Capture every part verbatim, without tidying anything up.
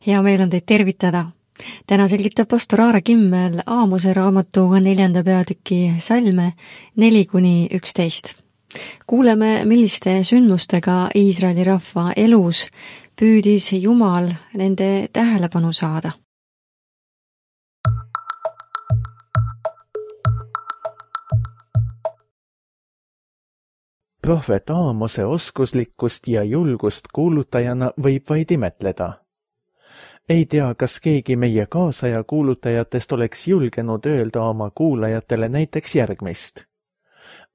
Hea meel on teid tervitada. Täna selgitab pastor Aare Kimmel Aamose raamatu neljanda peatüki salme neli kuni üksteist. Kuuleme, milliste sündmustega Iisraeli rahva elus püüdis Jumal nende tähelepanu saada. Prohvet Aamose oskuslikkust ja julgust kuulutajana võib vaid imetleda. Ei tea, kas keegi meie kaasaja kuulutajatest oleks julgenud öelda oma kuulajatele näiteks järgmist.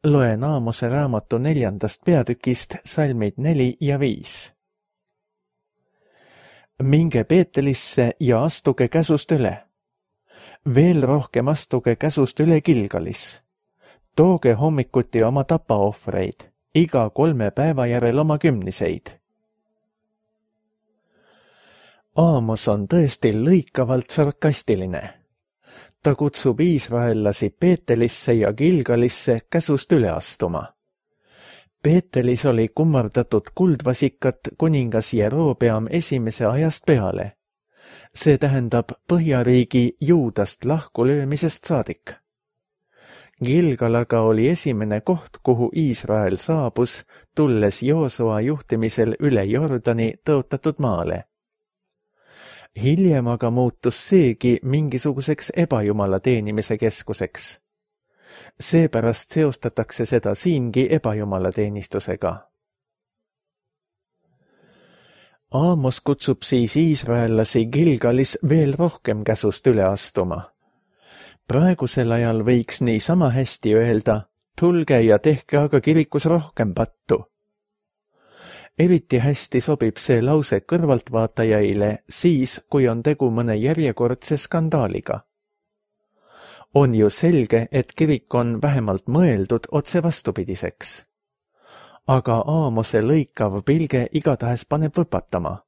Loen Aamose raamatu neljandast peatükist salmid neli ja viis. Minge Peetelisse ja astuge käsust üle. Veel rohkem astuge käsust üle Gilgalis. Tooge hommikuti oma tapaohvreid, iga kolme päeva järel oma kümniseid. Aamos on tõesti lõikavalt sarkastiline. Ta kutsub iisraellasi Peetelisse ja Gilgalisse käsust üle astuma. Peetelis oli kummardatud kuldvasikat kuningas Jerobeam esimese ajast peale. See tähendab Põhjariigi Juudast lahkulöömisest saadik. Gilgalaga oli esimene koht, kuhu Iisrael saabus, tulles Joosua juhtimisel üle Jordani tõotatud maale. Hiljem aga muutus seegi mingisuguseks ebajumala teenimise keskuseks. Seepärast seostatakse seda siingi ebajumala teenistusega. Aamos kutsub siis iisraellasi Gilgalis veel rohkem käsust üle astuma. Praegusel ajal võiks nii sama hästi öelda, tulge ja tehke aga kirikus rohkem pattu. Eriti hästi sobib see lause kõrvaltvaatajaile siis, kui on tegu mõne järjekordse skandaaliga. On ju selge, et kirik on vähemalt mõeldud otse vastupidiseks. Aga Aamose lõikav pilge igatahes paneb võpatama.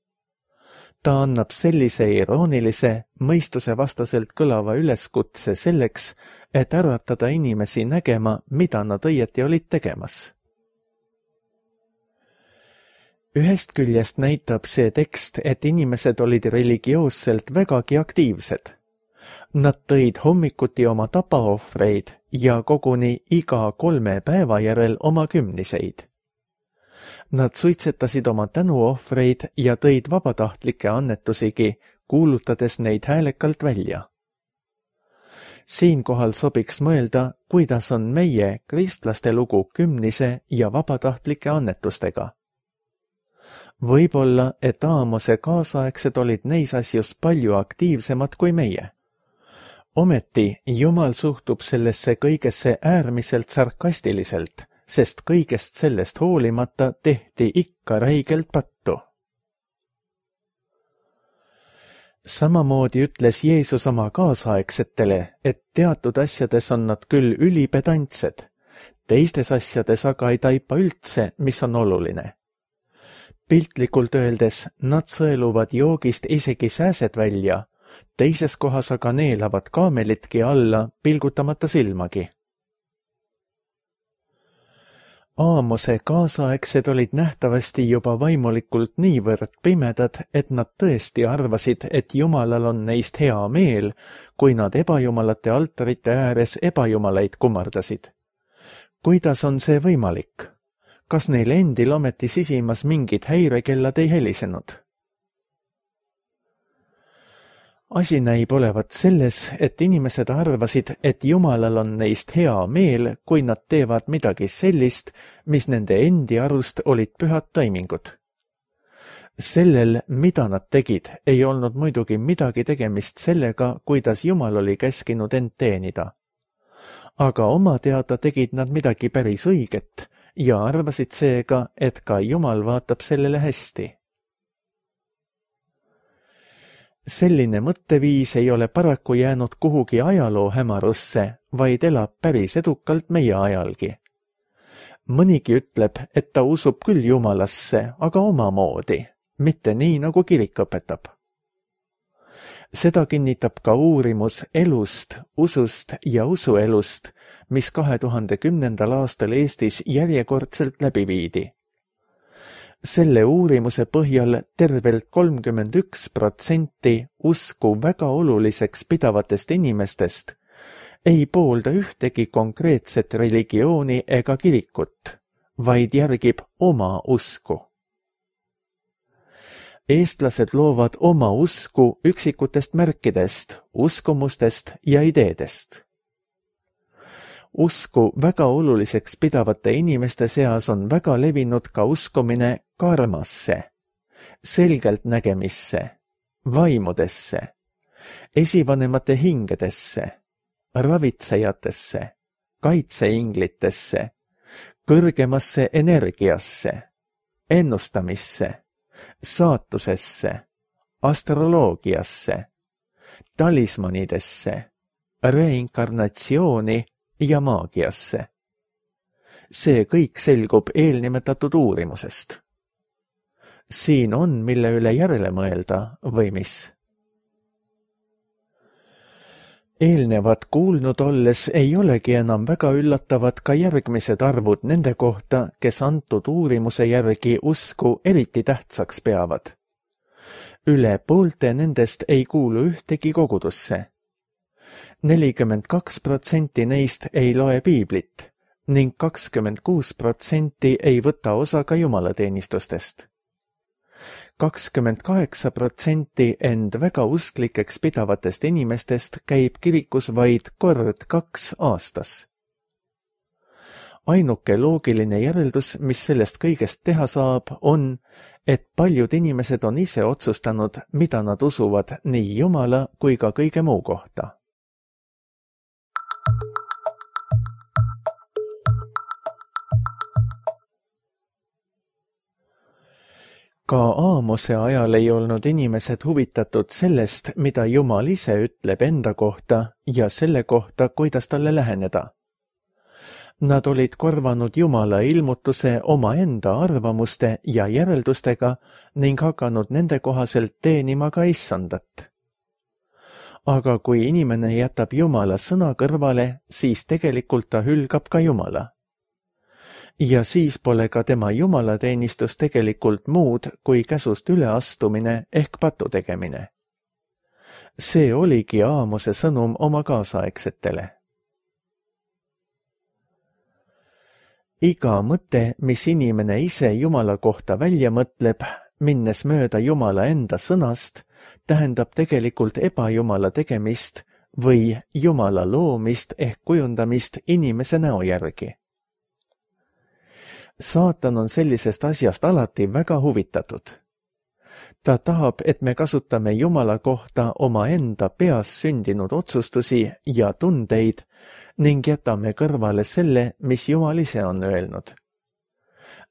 Ta annab sellise iroonilise, mõistuse vastaselt kõlava üleskutse selleks, et äratada inimesi nägema, mida nad õieti olid tegemas. Ühest küljest näitab see tekst, et inimesed olid religioosselt vägagi aktiivsed. Nad tõid hommikuti oma tapaohvreid ja koguni iga kolme päeva järel oma kümniseid. Nad suitsetasid oma tänuohvreid ja tõid vabatahtlikke annetusigi, kuulutades neid häälekalt välja. Siinkohal sobiks mõelda, kuidas on meie, kristlaste lugu kümnise ja vabatahtlike annetustega. Võib-olla, et Aamose kaasaegsed olid neis asjus palju aktiivsemad kui meie. Ometi Jumal suhtub sellesse kõigesse äärmiselt sarkastiliselt, sest kõigest sellest hoolimata tehti ikka räigelt pattu. Samamoodi ütles Jeesus oma kaasaegsetele, et teatud asjades on nad küll ülipedantsed, teistes asjades aga ei taipa üldse, mis on oluline. Piltlikult öeldes, nad sõeluvad joogist isegi sääsed välja, teises kohas aga neelavad kaamelitki alla, pilgutamata silmagi. Aamose kaasaegsed olid nähtavasti juba vaimulikult niivõrd pimedad, et nad tõesti arvasid, et Jumalal on neist hea meel, kui nad ebajumalate altarite ääres ebajumalaid kummardasid. Kuidas on see võimalik? Kas neil endil ometi sisimas mingid häirekellad ei helisenud? Asi näib olevat selles, et inimesed arvasid, et Jumalal on neist hea meel, kui nad teevad midagi sellist, mis nende endi arust olid pühad taimingud. Sellel, mida nad tegid, ei olnud muidugi midagi tegemist sellega, kuidas Jumal oli käskinud end teenida. Aga oma teada tegid nad midagi päris õiget, ja arvasid seega, et ka Jumal vaatab sellele hästi. Selline mõtteviis ei ole paraku jäänud kuhugi ajaloo hämarusse, vaid elab päris edukalt meie ajalgi. Mõnigi ütleb, et ta usub küll Jumalasse, aga omamoodi, mitte nii, nagu kirik õpetab. Seda kinnitab ka uurimus elust, usust ja usuelust, mis kahe tuhande kümnendal aastal Eestis järjekordselt läbi viidi. Selle uurimuse põhjal tervelt kolmkümmend üks protsenti usku väga oluliseks pidavatest inimestest ei poolda ühtegi konkreetset religiooni ega kirikut, vaid järgib oma usku. Eestlased loovad oma usku üksikutest märkidest, uskumustest ja ideedest. Usku väga oluliseks pidavate inimeste seas on väga levinud ka uskumine karmasse, selgeltnägemisse, vaimudesse, esivanemate hingedesse, ravitsejatesse, kaitseinglitesse, kõrgemasse energiasse, ennustamisse, saatusesse, astroloogiasse, talismanidesse, reinkarnatsiooni ja maagiasse. See kõik selgub eelnimetatud uurimusest. Siin on, mille üle järele mõelda või mis? Eelnevat kuulnud olles ei olegi enam väga üllatavad ka järgmised arvud nende kohta, kes antud uurimuse järgi usku eriti tähtsaks peavad. Üle poolte nendest ei kuulu ühtegi kogudusse. nelikümmend kaks protsenti neist ei loe piiblit ning kakskümmend kuus protsenti ei võta osa ka jumalateenistustest. kakskümmend kaheksa protsenti end väga usklikeks pidavatest inimestest käib kirikus vaid kord kaks aastas. Ainuke loogiline järeldus, mis sellest kõigest teha saab, on, et paljud inimesed on ise otsustanud, mida nad usuvad nii Jumala kui ka kõige muu kohta. Ka Aamose ajal ei olnud inimesed huvitatud sellest, mida Jumal ise ütleb enda kohta ja selle kohta, kuidas talle läheneda. Nad olid korvanud Jumala ilmutuse omaenda arvamuste ja järeldustega ning hakanud nende kohaselt teenima ka issandat. Aga kui inimene jätab Jumala sõna kõrvale, siis tegelikult ta hülgab ka Jumala. Ja siis pole ka tema jumalateenistus tegelikult muud kui käsust üleastumine ehk patu tegemine. See oligi Aamose sõnum oma kaasaegsetele. Iga mõte, mis inimene ise Jumala kohta välja mõtleb, minnes mööda Jumala enda sõnast, tähendab tegelikult ebajumala tegemist või Jumala loomist ehk kujundamist inimese näo järgi. Saatan on sellisest asjast alati väga huvitatud. Ta tahab, et me kasutame Jumala kohta omaenda peas sündinud otsustusi ja tundeid ning jätame kõrvale selle, mis Jumal ise on öelnud.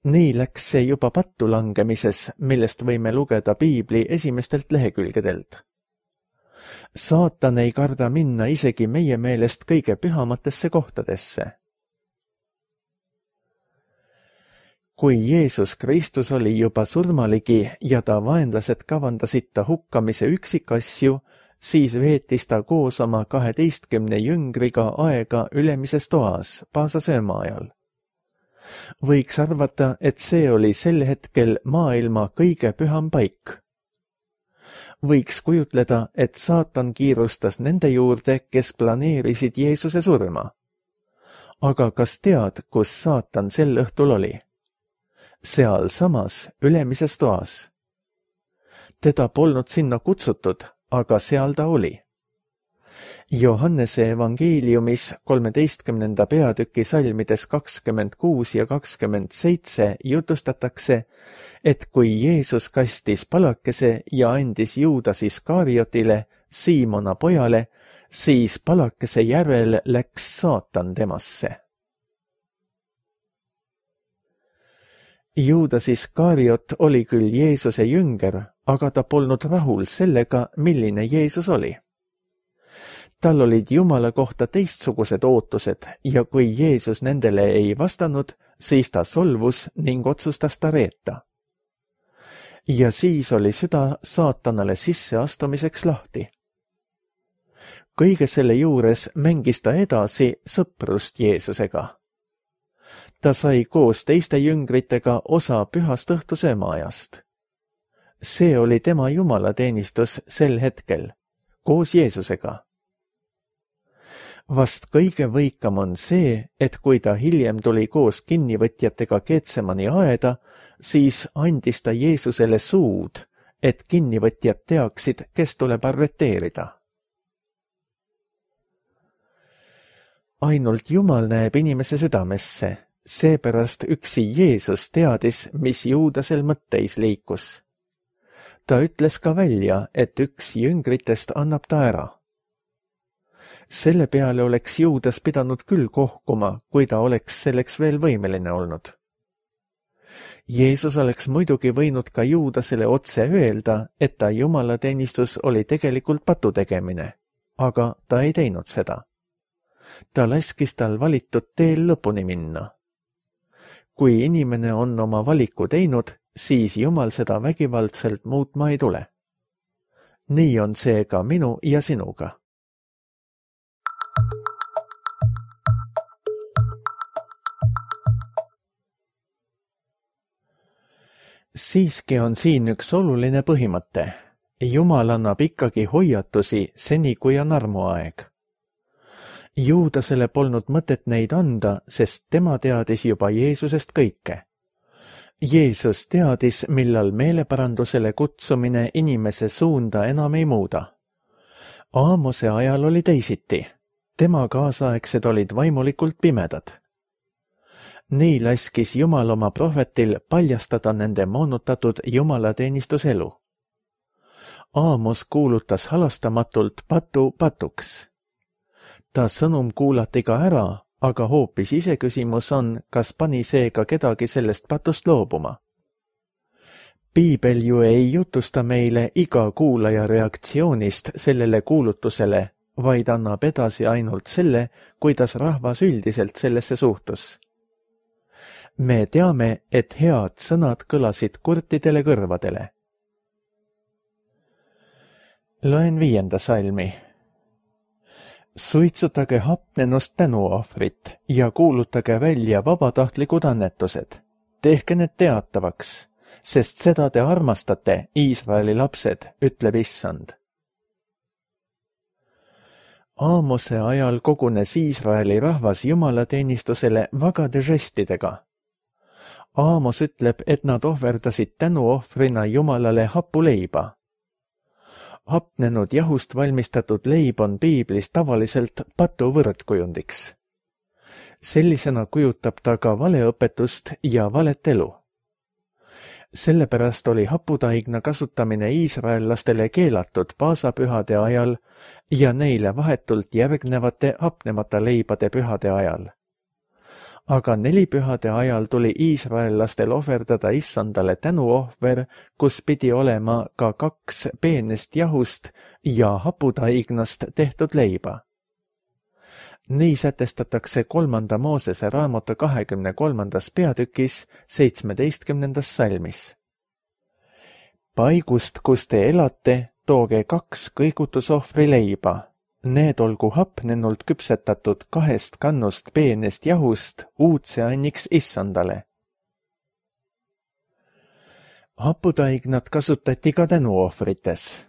Nii läks see juba pattu langemises, millest võime lugeda Piibli esimestelt lehekülgedelt. Saatan ei karda minna isegi meie meelest kõige pühamatesse kohtadesse. Kui Jeesus Kristus oli juba surmaligi ja ta vaenlased kavandasid ta hukkamise üksikasju, siis veetis ta koos oma kaheteistkümne jüngriga aega ülemises toas paasasööma ajal. Võiks arvata, et see oli sel hetkel maailma kõige püham paik. Võiks kujutleda, et saatan kiirustas nende juurde, kes planeerisid Jeesuse surma. Aga kas tead, kus saatan sel õhtul oli? Seal samas ülemises toas. Teda polnud sinna kutsutud, aga seal ta oli. Johannese evangeeliumis kolmeteistkümnenda peatüki salmides kakskümmend kuus ja kakskümmend seitse jutustatakse, et kui Jeesus kastis palakese ja andis Juudas Iskariotile, Siimona pojale, siis palakese järel läks saatan temasse. Juudas Iskariot oli küll Jeesuse jünger, aga ta polnud rahul sellega, milline Jeesus oli. Tal olid Jumala kohta teistsugused ootused ja kui Jeesus nendele ei vastanud, siis ta solvus ning otsustas ta reeta. Ja siis oli süda saatanale sisseastumiseks lahti. Kõige selle juures mängis ta edasi sõprust Jeesusega. Ta sai koos teiste jüngritega osa pühast õhtusöömaajast. See oli tema jumalateenistus sel hetkel, koos Jeesusega. Vast kõige võikam on see, et kui ta hiljem tuli koos kinnivõtjatega Getsemani aeda, siis andis ta Jeesusele suud, et kinnivõtjad teaksid, kes tuleb arreteerida. Ainult Jumal näeb inimese südamesse, seepärast üksi Jeesus teadis, mis Juudasel mõtteis liikus. Ta ütles ka välja, et üks jüngritest annab ta ära. Selle peale oleks Juudas pidanud küll kohkuma, kui ta oleks selleks veel võimeline olnud. Jeesus oleks muidugi võinud ka Juudasele otse öelda, et ta jumalateenistus oli tegelikult patu tegemine, aga ta ei teinud seda. Ta laskis tal valitud teel lõpuni minna. Kui inimene on oma valiku teinud, siis Jumal seda vägivaldselt muutma ei tule. Nii on see ka minu ja sinuga. Siiski on siin üks oluline põhimõte. Jumal annab ikkagi hoiatusi seni, kui on armuaeg. Juudasele polnud mõtet neid anda, sest tema teadis juba Jeesusest kõike. Jeesus teadis, millal meeleparandusele kutsumine inimese suunda enam ei muuda. Aamose ajal oli teisiti. Tema kaasaegsed olid vaimulikult pimedad. Nii laskis Jumal oma prohvetil paljastada nende moonutatud jumalateenistuselu. Aamos kuulutas halastamatult patu patuks. Ta sõnum kuulati ka ära, aga hoopis iseküsimus on, kas pani seega kedagi sellest patust loobuma. Piibel ju ei jutusta meile iga kuulaja reaktsioonist sellele kuulutusele, vaid annab edasi ainult selle, kuidas rahvas üldiselt sellesse suhtus. Me teame, et head sõnad kõlasid kurtidele kõrvadele. Loen viienda salmi. Suitsutage hapnenust tänuohvrit ja kuulutage välja vabatahtlikud annetused. Tehke need teatavaks, sest seda te armastate, Iisraeli lapsed, ütleb Issand. Aamose ajal kogunes Iisraeli rahvas jumalateenistusele vagade žestidega. Aamos ütleb, et nad ohverdasid tänuohvrina Jumalale hapuleiba. Hapnenud jahust valmistatud leib on piiblis tavaliselt patu võrdkujundiks. Sellisena kujutab ta ka valeõpetust ja valet elu. Sellepärast oli haputaigna kasutamine iisraellastele keelatud paasapühade ajal ja neile vahetult järgnevate hapnemata leibade pühade ajal. Aga nelipühade ajal tuli iisraellastel ohverdada Issandale tänuohver, kus pidi olema ka kaks peenest jahust ja haputaignast tehtud leiba. Nii sätestatakse kolmanda Moosese raamatu kahekümne kolmandas peatükis seitsmeteistkümnendas salmis. Paigust, kus te elate, tooge kaks kõigutusohvri leiba. Need olgu hapnenult küpsetatud kahest kannust peenest jahust uudseanniks Issandale. Haputaignat kasutati ka tänuohvrites.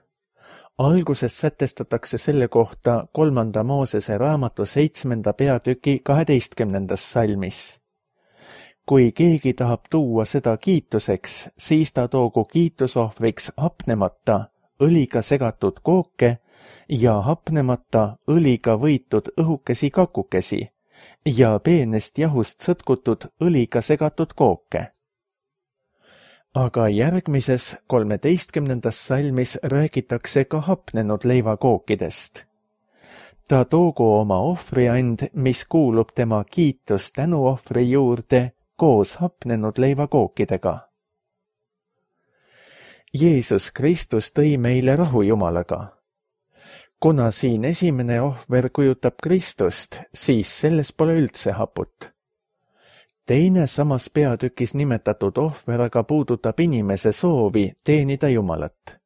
Alguses sätestatakse selle kohta kolmanda Moosese raamatu seitsmenda peatüki kaheteistkümnendas salmis. Kui keegi tahab tuua seda kiituseks, siis ta toogu kiitusohvriks hapnemata, õliga segatud kooke ja hapnemata õliga võitud õhukesi kakukesi ja peenest jahust sõtkutud õliga segatud kooke. Aga järgmises kolmeteistkümnendas salmis räägitakse ka hapnenud leivakookidest. Ta toogu oma ohvriand, mis kuulub tema kiitus tänuohvri juurde koos hapnenud leivakookidega. Jeesus Kristus tõi meile rahu Jumalaga. Kuna siin esimene ohver kujutab Kristust, siis selles pole üldse haput. Teine samas peatükis nimetatud ohver aga puudutab inimese soovi teenida Jumalat.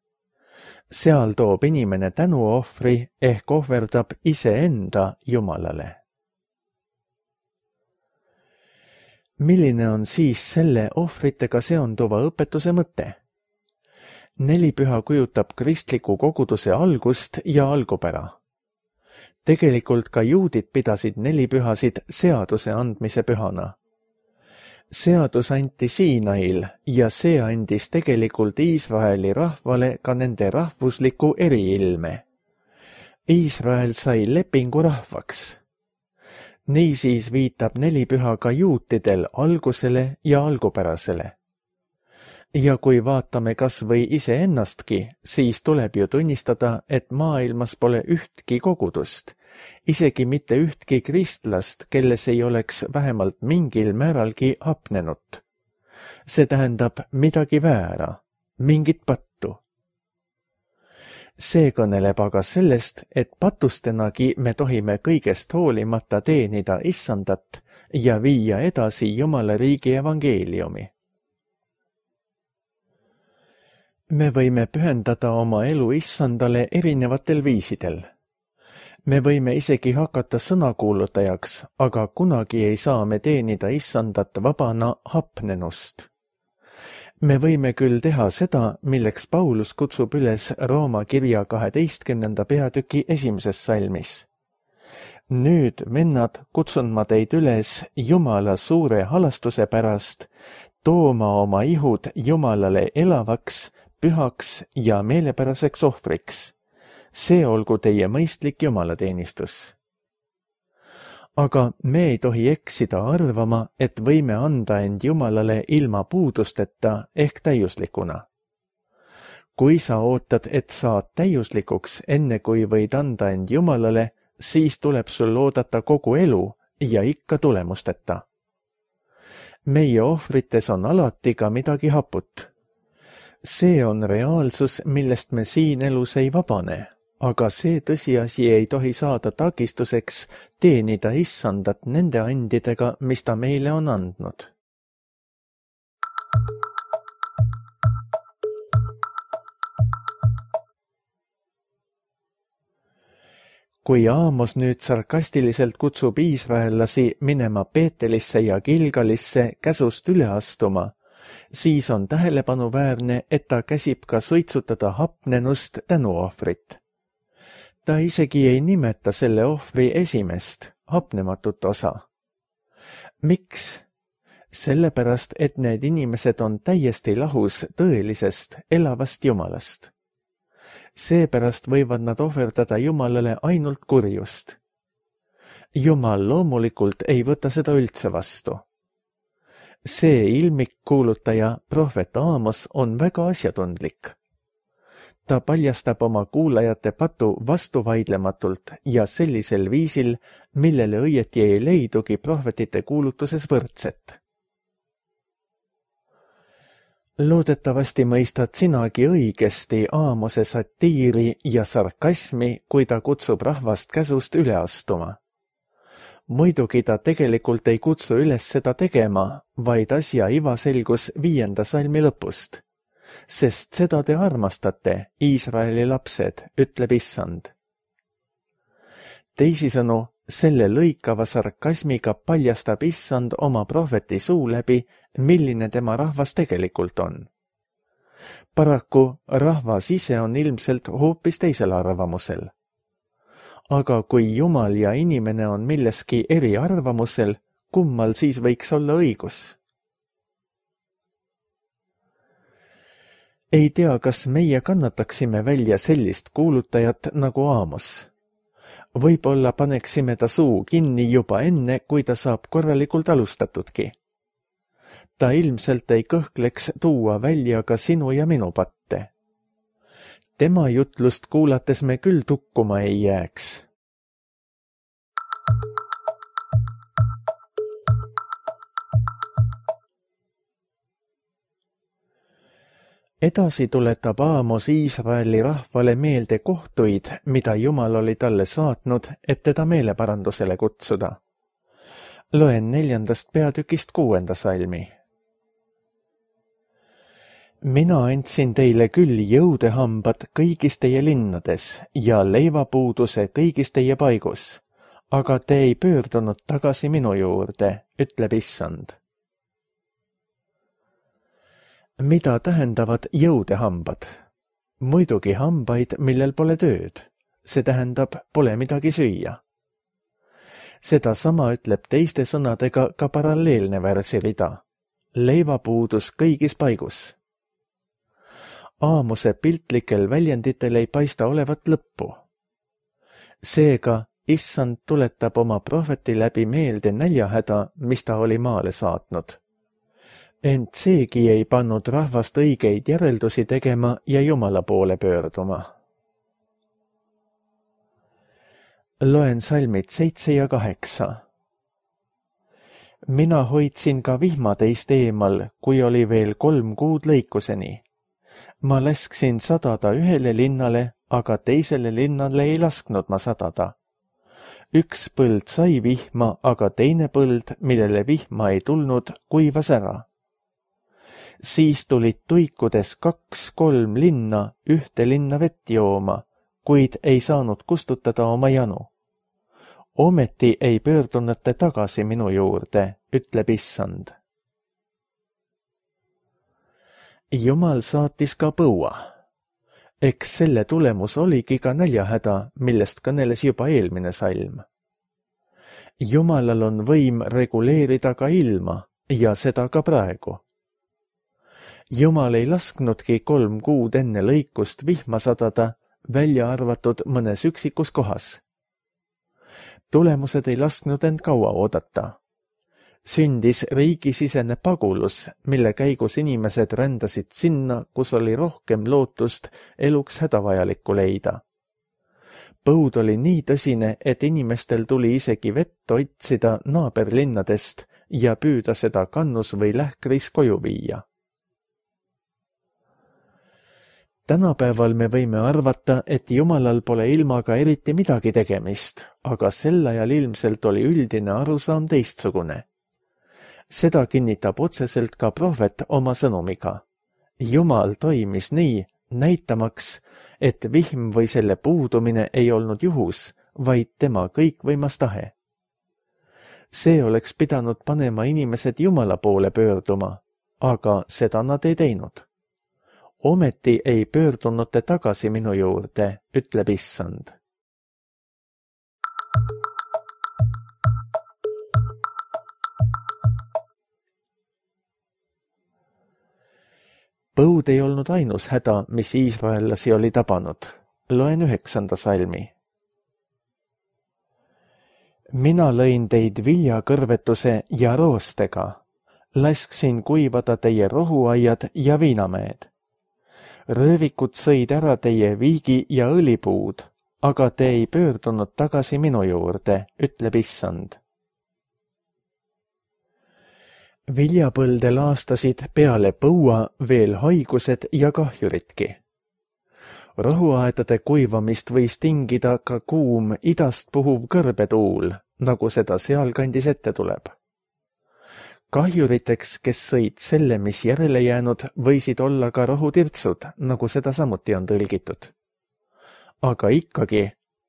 Seal toob inimene tänuohvri ehk ohverdab iseenda Jumalale. milline on siis selle ohvritega seonduva õpetuse mõte? Nelipüha kujutab kristliku koguduse algust ja algupära. Tegelikult ka juudid pidasid nelipühasid seaduse andmise pühana. Seadus anti Siinail ja see andis tegelikult Iisraeli rahvale ka nende rahvusliku eriilme. Iisrael sai lepingu rahvaks. Niisiis viitab nelipüha ka juutidel algusele ja algupärasele. Ja kui vaatame kas või iseennastki, siis tuleb ju tunnistada, et maailmas pole ühtki kogudust, isegi mitte ühtki kristlast, kelles ei oleks vähemalt mingil määralgi hapnenut. See tähendab midagi väära, mingit pattu. See kõneleb aga sellest, et patustenagi me tohime kõigest hoolimata teenida Issandat ja viia edasi Jumala riigi evangeeliumi. Me võime pühendada oma elu Issandale erinevatel viisidel. Me võime isegi hakata sõnakuulutajaks, aga kunagi ei saa me teenida Issandat vabana hapnenust. Me võime küll teha seda, milleks Paulus kutsub üles Rooma kirja kaheteistkümnenda peatüki esimeses salmis. Nüüd, vennad, kutsun ma teid üles Jumala suure halastuse pärast, tooma oma ihud Jumalale elavaks, pühaks ja meelepäraseks ohvriks. See olgu teie mõistlik jumalateenistus. Aga me ei tohi eksida arvama, et võime anda end Jumalale ilma puudusteta ehk täiuslikuna. Kui sa ootad, et saad täiuslikuks enne kui võid anda end Jumalale, siis tuleb sul oodata kogu elu ja ikka tulemusteta. Meie ohvrites on alati ka midagi haput. See on reaalsus, millest me siin elus ei vabane, aga see tõsiasi ei tohi saada takistuseks teenida Issandat nende andidega, mis ta meile on andnud. Kui Aamos nüüd sarkastiliselt kutsub iisraellasi minema Peetelisse ja Gilgalisse käsust üle astuma, siis on tähelepanuväärne, et ta käsib ka suitsutada hapnenust tänuohvrit. Ta isegi ei nimeta selle ohvri esimest, hapnematut osa. Miks? Sellepärast, et need inimesed on täiesti lahus tõelisest, elavast Jumalast. Seepärast võivad nad ohverdada Jumalale ainult kurjust. Jumal loomulikult ei võta seda üldse vastu. See ilmik kuulutaja, prohvet Aamos, on väga asjatundlik. Ta paljastab oma kuulajate patu vastuvaidlematult ja sellisel viisil, millele õieti ei leidugi prohvetite kuulutuses võrdset. Loodetavasti mõistad sinagi õigesti Aamose satiiri ja sarkasmi, kui ta kutsub rahvast käsust üle astuma. Muidugi ta tegelikult ei kutsu üles seda tegema, vaid asja iva selgus viienda salmi lõpust. Sest seda te armastate, Iisraeli lapsed, ütleb Issand. Teisisõnu, selle lõikava sarkasmiga paljastab Issand oma prohveti suu läbi, milline tema rahvas tegelikult on. Paraku rahvas ise on ilmselt hoopis teisel arvamusel. Aga kui Jumal ja inimene on milleski eri arvamusel, kummal siis võiks olla õigus? Ei tea, kas meie kannataksime välja sellist kuulutajat nagu Aamos. Võib-olla paneksime ta suu kinni juba enne, kui ta saab korralikult alustatudki. Ta ilmselt ei kõhkleks tuua välja ka sinu ja minu patte. Tema jutlust kuulates me küll tukkuma ei jääks. Edasi tuletab Aamos Iisraeli rahvale meelde kohtuid, mida Jumal oli talle saatnud, et teda meeleparandusele kutsuda. Loen neljandast peatükist kuuenda salmi. Mina andsin teile küll jõudehambad kõigis teie linnades ja leivapuuduse kõigis teie paigus, aga te ei pöördunud tagasi minu juurde, ütleb Issand. mida tähendavad jõudehambad? Muidugi hambaid, millel pole tööd. See tähendab, pole midagi süüa. Seda sama ütleb teiste sõnadega ka paralleelne värsirida. Leivapuudus kõigis paigus. Aamuse piltlikel väljenditel ei paista olevat lõppu. Seega, issand tuletab oma prohveti läbi meelde näljahäda, mis ta oli maale saatnud. Ent seegi ei pannud rahvast õigeid järeldusi tegema ja Jumala poole pöörduma. Loen salmid seitse ja kaheksa. Mina hoidsin ka vihma teist eemal, kui oli veel kolm kuud lõikuseni. Ma lasksin sadada ühele linnale, aga teisele linnale ei lasknud ma sadada. Üks põld sai vihma, aga teine põld, millele vihma ei tulnud, kuivas ära. Siis tulid tuikudes kaks-kolm linna ühte linna vett jooma, kuid ei saanud kustutada oma janu. Ometi ei pöördunud te tagasi minu juurde, ütleb issand. Jumal saatis ka põua. Eks selle tulemus oligi ka näljahäda, millest kõneles juba eelmine salm. Jumalal on võim reguleerida ka ilma ja seda ka praegu. Jumal ei lasknudki kolm kuud enne lõikust vihma sadada, välja arvatud mõnes üksikus kohas. Tulemused ei lasknud end kaua oodata. Sündis riigisisene pagulus, mille käigus inimesed rändasid sinna, kus oli rohkem lootust eluks hädavajalikku leida. Põud oli nii tõsine, et inimestel tuli isegi vett otsida naaberlinnadest ja püüda seda kannus või lähkris koju viia. Tänapäeval me võime arvata, et Jumalal pole ilmaga eriti midagi tegemist, aga sel ajal ilmselt oli üldine arusaam teistsugune. Seda kinnitab otseselt ka prohvet oma sõnumiga. Jumal toimis nii, näitamaks, et vihm või selle puudumine ei olnud juhus, vaid tema kõikvõimas tahe. See oleks pidanud panema inimesed Jumala poole pöörduma, aga seda nad ei teinud. Ometi ei pöördunud te tagasi minu juurde, ütleb issand. Põud ei olnud ainus häda, mis iisraellasi oli tabanud. Loen üheksanda salmi. Mina lõin teid viljakõrvetuse ja roostega. Lasksin kuivada teie rohuaiad ja viinamäed. Röövikud sõid ära teie viigi ja õlipuud, aga te ei pöördunud tagasi minu juurde, ütleb issand. Viljapõlde laastasid peale põua veel haigused ja kahjuritki. Rohuaedade kuivamist võis tingida ka kuum idast puhuv kõrbetuul, nagu seda sealkandis ette tuleb. Kahjuriteks, kes sõid selle, mis järele jäänud, võisid olla ka rohutirtsud, nagu seda samuti on tõlgitud. Aga ikkagi,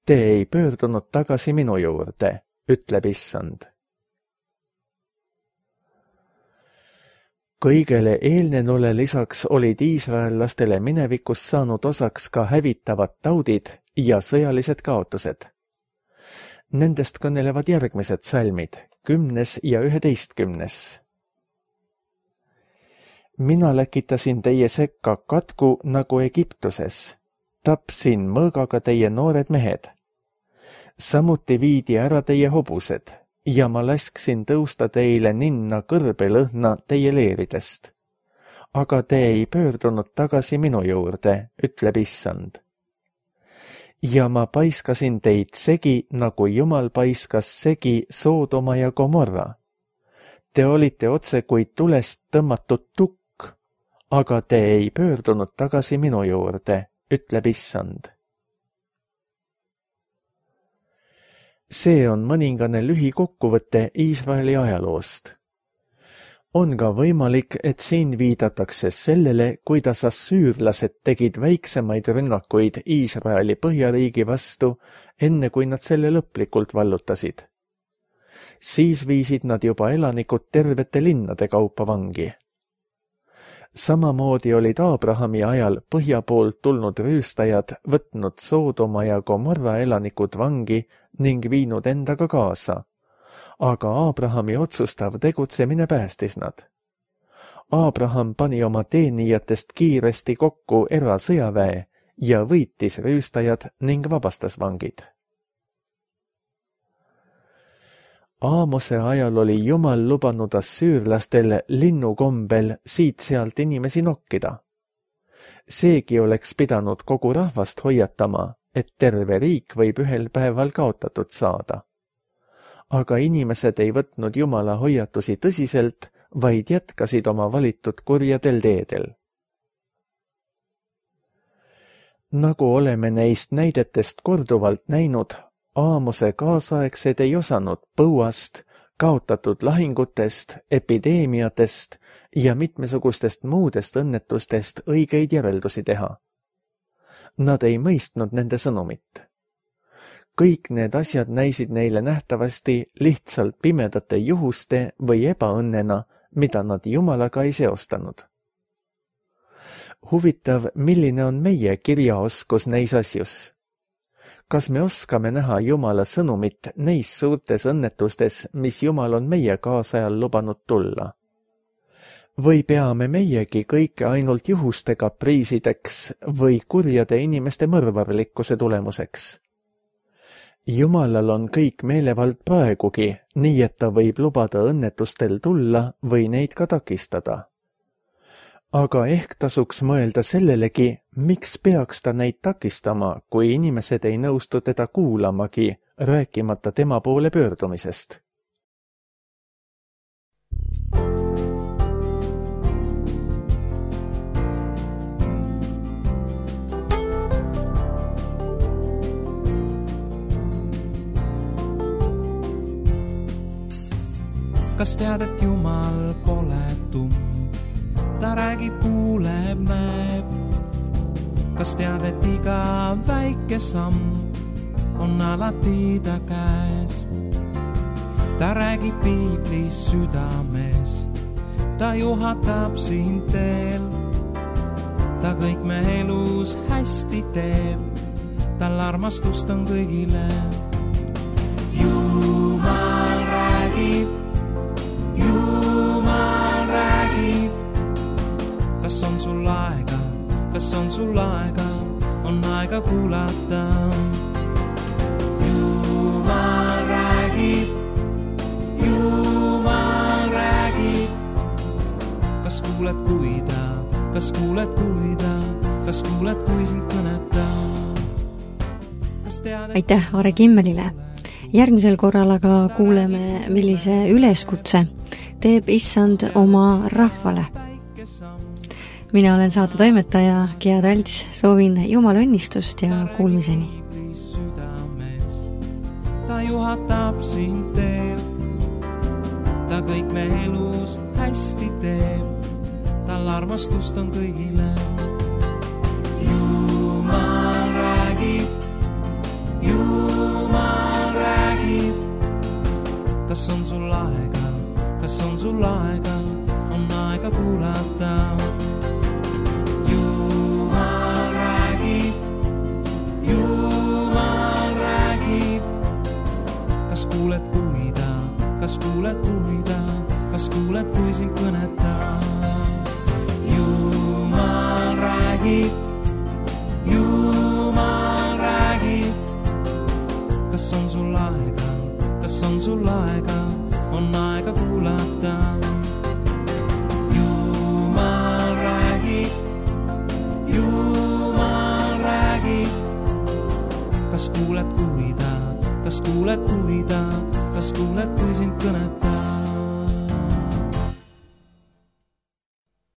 te ei pöördunud tagasi minu juurde, ütleb issand. Kõigele eelnenule lisaks olid iisraellastele minevikus saanud osaks ka hävitavad taudid ja sõjalised kaotused. Nendest kõnelevad järgmised salmid, kümnes ja üheteistkümnes. Mina läkitasin teie sekka katku nagu Egiptuses. Tapsin mõõgaga teie noored mehed. Samuti viidi ära teie hobused ja ma lasksin tõusta teile ninna kõrbelõhna teie leeridest. Aga te ei pöördunud tagasi minu juurde, ütleb issand. Ja ma paiskasin teid segi, nagu Jumal paiskas segi Soodoma ja Gomorra. Te olite otse kui tulest tõmmatud tukk, aga te ei pöördunud tagasi minu juurde, ütleb issand. See on mõningane lühikokkuvõte Iisraeli ajaloost. On ka võimalik, et siin viidatakse sellele, kuidas assüürlased tegid väiksemaid rünnakuid Iisraeli põhjariigi vastu, enne kui nad selle lõplikult vallutasid. Siis viisid nad juba elanikud tervete linnade kaupa vangi. Samamoodi olid Aabrahami ajal põhja poolt tulnud rüüstajad võtnud Soodoma ja Gomorra elanikud vangi ning viinud endaga kaasa. Aga Aabrahami otsustav tegutsemine päästis nad. Aabraham pani oma teenijatest kiiresti kokku erasõjaväe ja võitis rüüstajad ning vabastas vangid. Aamose ajal oli Jumal lubanud assüürlastel linnukombel siit-sealt inimesi nokkida. Seegi oleks pidanud kogu rahvast hoiatama, et terve riik võib ühel päeval kaotatud saada. Aga inimesed ei võtnud Jumala hoiatusi tõsiselt, vaid jätkasid oma valitud kurjadel teedel. Nagu oleme neist näidetest korduvalt näinud, Aamose kaasaegsed ei osanud põuast, kaotatud lahingutest, epideemiatest ja mitmesugustest muudest õnnetustest õigeid järeldusi teha. Nad ei mõistnud nende sõnumit. Kõik need asjad näisid neile nähtavasti lihtsalt pimedate juhuste või ebaõnnena, mida nad Jumalaga ei seostanud. Huvitav, milline on meie kirjaoskus neis asjus? Kas me oskame näha Jumala sõnumit neis suurtes õnnetustes, mis Jumal on meie kaasajal lubanud tulla? Või peame meiegi kõike ainult juhuste kapriisideks või kurjade inimeste mõrvarlikkuse tulemuseks? Jumalal on kõik meelevald praegugi, nii et ta võib lubada õnnetustel tulla või neid ka takistada. Aga ehk tasuks mõelda sellelegi, miks peaks ta neid takistama, kui inimesed ei nõustu teda kuulamagi, rääkimata tema poole pöördumisest. Kas tead, et Jumal pole tumm? Ta räägib, kuuleb, näeb. Kas tead, et iga väike samm on alati ta käes? Ta räägib piiblis südames, ta juhatab sind teel. Ta kõik me elus hästi teeb, tal armastust on kõigile. Jumal räägib, Jumal räägib. Kas on sul aega, kas on sul aega, on aega kuulata. Jumal räägib, Jumal räägib. Kas kuuled, kui ta, kas kuuled, kui ta, kas kuuled, kui sind kõnetab? Aitäh Are Kimmelile! Järgmisel korral aga kuuleme, millise üleskutse teeb Issand oma rahvale. Mina olen saate toimetaja Gea Talts, soovin Jumala õnnistust ja kuulmiseni. Ta juhatab sind teel, ta kõik me elus hästi teeb, tal armastust on kõigile. Jumal räägib, Jumal räägib. Kas on sul aega, kas on sul aega, on aega kuulata. Jumal räägib, Jumal räägib. Kas kuuled, kui ta, kas kuuled, kui ta, kas kuuled, kui sind kõnetab? Jumal räägib, Jumal räägib. Kas on sul aega, kas on sul aega, on aega kuulata. Jumal räägib, Jumal räägib. Kas kuuled, kui ta, kas kuuled, kui ta, kas kuuled, kui sind kõnetab?